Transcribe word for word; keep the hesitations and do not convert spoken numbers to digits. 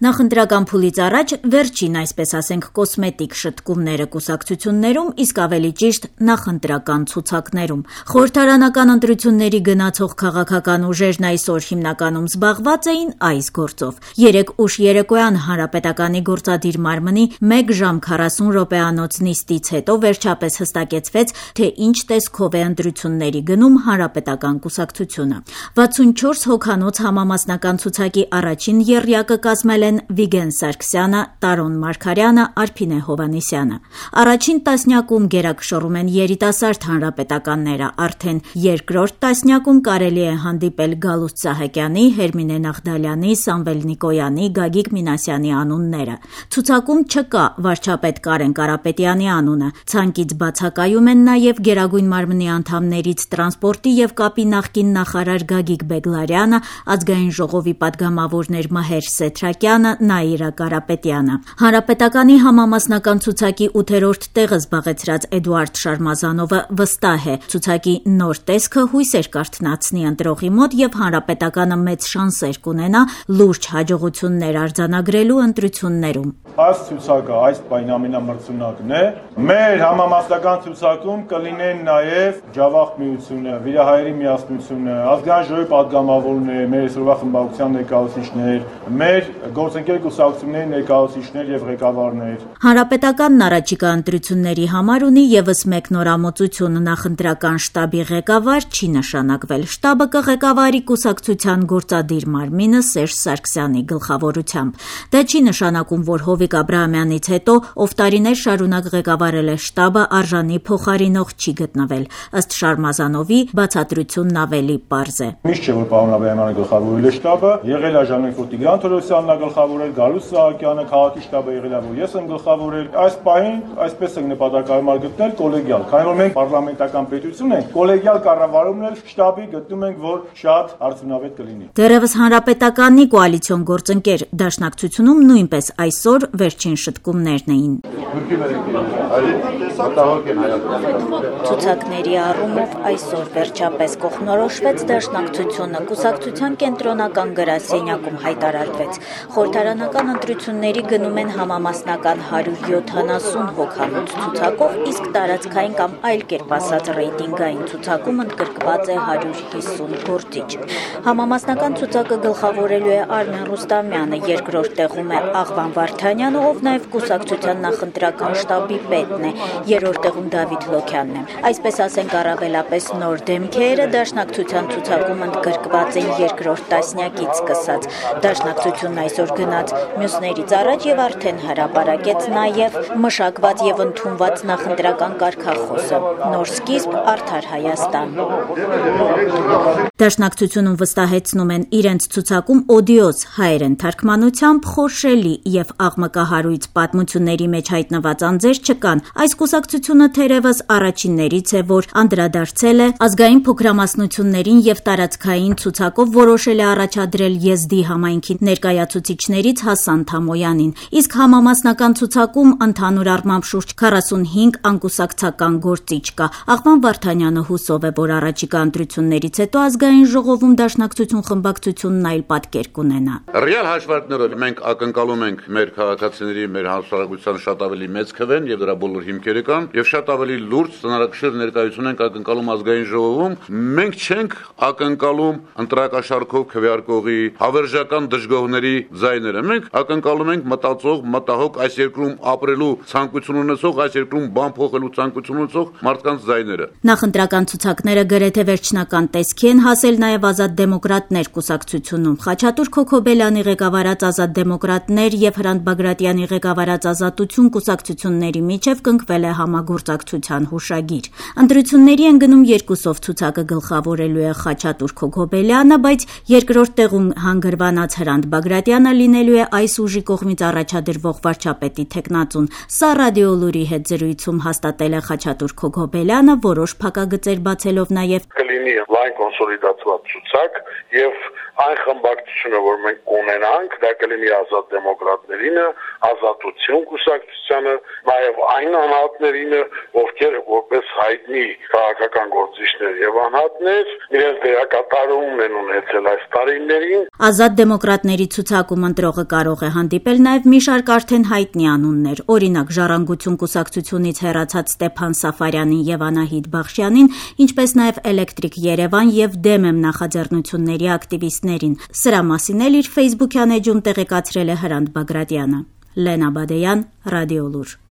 Նախընտրական փուլից առաջ վերջին, այսպես ասենք, կոսմետիկ շտկումները կուսակցություններում, իսկ ավելի ճիշտ նախընտրական ցուցակներում։ Խորհրդարանական ընտրությունների գնացող քաղաքական ուժերն այսօր հիմնականում զբաղված էին այս գործով։ Երեկ ուշ երեկոյան Հանրապետականի գործադիր մարմնի մեկ ժամ քառասուն րոպեանոց նիստից հետո վերջապես հստակեցվեց, թե ինչ տեսքով է ընտրությունների գնում Հանրապետական կուսակցությունը։ վաթսունչորս հոգանոց համամասնական ցուցակի առաջին եռյակը կազմել են Վիգեն Սարգսյանը, Տարոն Մարգարյանը, Արփինե Հովհաննիսյանը։ Առաջին տասնյակում գերակշռում են երիտասարդ հանրապետականները, արդեն երկրորդ տասնյակում կարելի է հանդիպել Գալուստ Սահակյանի, Հերմինե Նաղդալյանի, Սամվել Նիկոյանի, Գագիկ Մինասյանի անունները։ Ցուցակում չկա վարչապետ Կարեն Կարապետյանի անունը։ Ցանկից բացակայում են նաև Գերագույն մարմնի անդամներից տրանսպորտի եւ կապի նախկին նախարար Գագիկ Բեգլարյանը, Ազգային ժողովի պատգամավորներ Մահեր Սեթրակյանը, Նաիրա Կարապետյանը։ Հանրապետականի համամասնական ցուցակի ութերորդ տեղը զբաղեցրած Էդուարդ Շարմազանովը վստահ է, ցուցակի նոր տեսքը հույսեր կարթնացնի ընտրողի մոտ եւ Հանրապետականը մեծ շանսեր կունենա լուրջ հաջողություններ արձանագրելու ընտրություններում։ Այս ցուցակը այս պայն ամենամրցունակն է։ Մեր համամասնական ցուցակում կլինեն նաեւ Ջավախ միությունը, Վիրահայերի միասնությունը, Ազգային ժողովի պատգամավորներ, մեր այսօրվա խմբակցության ներկայացուցիչներ, մեր գործընկեր կուսակցությունների ներկայացուցիչներ եւ ղեկավարներ։ Հանրապետականն առաջիկա ընտրությունների համար ունի եւս մեկ նորամուծություն՝ նախընտրական շտաբի ղեկավար չի նշանակվել։ Շտաբը կղեկավարի կուսակցության գործադիր մարմինը Սերժ Սարգսյանի գլխավորությամբ։ Դա չի նշանակում, որ Հովիկ Աբրահամյանից հետո, ով տարիներ շարունակ ղեկավարել է շտաբը, արժանի փոխարինող չի գտնվել։ Ըստ Շարմազանովի, բացատրությունն ավելի պարզ է։ Միշտ չէ, որ պարոն Աբրահամյանը գլխավորել է շտաբը, եղել է Ժաննետ Տիգրան Թորոսյանն գլխավորել, Գալուստ Սահակյանը, քաղաքի շտաբը եղել է, որ ես եմ գլխավորել։ Այս պահին այսպես ենք նպատակարար գտնել կոլեգիալ, քանի որ մենք պարլամենտական պետություն ենք, կոլեգիալ կառավարումն էլ շտաբի գտնում ենք, որ շատ արդյունավետ կլինի։ Դեռևս Հանրապետականի կոալիցիոն գործընկեր Դաշնակցությունում նույնպես այսօր վերջին շտկումներն էին։ Ցուցակների առումով այսօր վերջապես կողմնորոշվեց Դաշնակցությունը, կուսակցության կենտրոնական գրասենյակում հայտարարվեց։ Խորհրդարանական ընտրությունների գնում են համամասնական հարյուր յոթանասուն հոգանոց ցուցակով, իսկ տարածքային կամ այլ կերպ ասած ռեյտինգային ցուցակում ընդգրկված է հարյուր հիսուն գործիչ։ Համամասնական ցուցակը գլխավորելու է Արմեն Ռուստամյանը, երկրորդ տեղում է Աղվան Վարդանյանը, ով նաև կուսակցության նախընտրական շտաբի պետն է, երրորդ տեղում Դավիթ Լոքյանն է։ Այսպես ասենք, առավելապես նոր դեմքերը Դաշնակցության ցուցակում ընդգրկված են երկրորդ տասնյակից սկսած։ Դաշնակցությունն այսօր գնաց մյուսներից առաջ եւ արդեն հրապարակեց նաեւ մշակված եւ ընդունված նախընտրական կարգախոսը՝ նոր սկիզբ, արդար Հայաստան։ Դաշնակցությունում վստահեցնում են իրենց ցուցակում օդիոս հայերեն թարգմանությամբ խորշելի եւ աղմկահարույց պատմությունների մեջ հայտնված անձեր չկան։ Այս կուսակցությունը թերևս առաջիններից է, որ անդրադարձել է ազգային փոքրամասնություններին եւ տարածքային ցուցակով որոշել է առաջադրել Եզդի համայնքի ներկայացուցիչներից Հասան Թամոյանին, իսկ համամասնական ցուցակում ընդհանուր առմամբ շուրջ քառասունհինգ անկուսակցական գործիչ կա։ Աղվան Վարդանյանը հուսով է, որ առաջիկա ընտրություններից հետո Ազգային ժողովում Դաշնակցություն խմբակցությունն այլ պատկեր կունենա։ Ռեալ հաշվարկներով մենք ակնկալում ենք մեր քաղաքացիների, մեր հասարակության շատ ավելի մեծ քվեն եւ դրա բոլոր հիմքերը կան եւ շատ ավելի լուրջ ծանրակշիռ ներկայություն ենք ակնկալում Ազգային ժողովում։ Մենք չենք ակնկալում ընտրակաշառքով քվեարկողի հավերժական դժգոհների ձայները։ Մենք ակնկալում ենք մտածող, մտահոգ, այս երկրում ապրելու ցանկություն ունեցող, այս երկրում բան փոխելու ցանկություն ունեցող մարդկանց ձայները։ Նախընտրական ցուցակները գրեթե վերջնական տեսքի են հասել նաև Ազատ դեմոկրատներ կուսակցությունում։ Խաչատուր Քոքոբելյանի ղեկավարած Ազատ դեմոկրատներ եւ Հրանտ Բագրատյանի ղեկավարած Ազատություն կուսակցությունների միջև կնքվել է համագործակցության հուշագիր։ Ընտրությունների են գնում երկուսով, ցուցակը գլխավորելու է Խաչատուր Քոքոբելյանը, բայց երկրորդ տեղում հանգրվանած Հրանտ Բագրատյանը լինելու է այս ուժի կողմից առաջադրվող վարչապետի թեկնածուն։ Սա ռադիոլուրի հետ զրույցում հաստատել է Խաչատուր Քոքոբելյանը, որոշ փակագծեր բացելով նաև կլինի լայն կոնսոլիդացված ցուցակ եւ այն խմբակցությունը, որ մենք կունենանք, դա կլինի Ազատ դեմոկրատներինը, Ազատություն կուսակցությանը, նաև այն անհատներին, ովքեր որպես հայտնի քաղաքական գործիչներ եւ անհատներ իրենց դերակատարում են ունեցել այս տարիներին։ Ազատ դեմոկրատների ցուցակում ընտրողը կարող է հանդիպել նաև մի շարք արդեն հայտնի անուններ, օրինակ Ժառանգություն կուսակցությունից հեռացած Ստեփան Սաֆարյանին եւ Անահիտ Բախշյանին, ինչպես նաև Էլեկտրիկ Երևան եւ Դեմ եմ նախաձեռնությունների ակտիվիստներին։ Սրա մասին էլ իր Facebook-յան էջում տեղեկացրել է Հրանտ Բագրատյանը։ Լենա Բադեյան, Ռադիոլուր։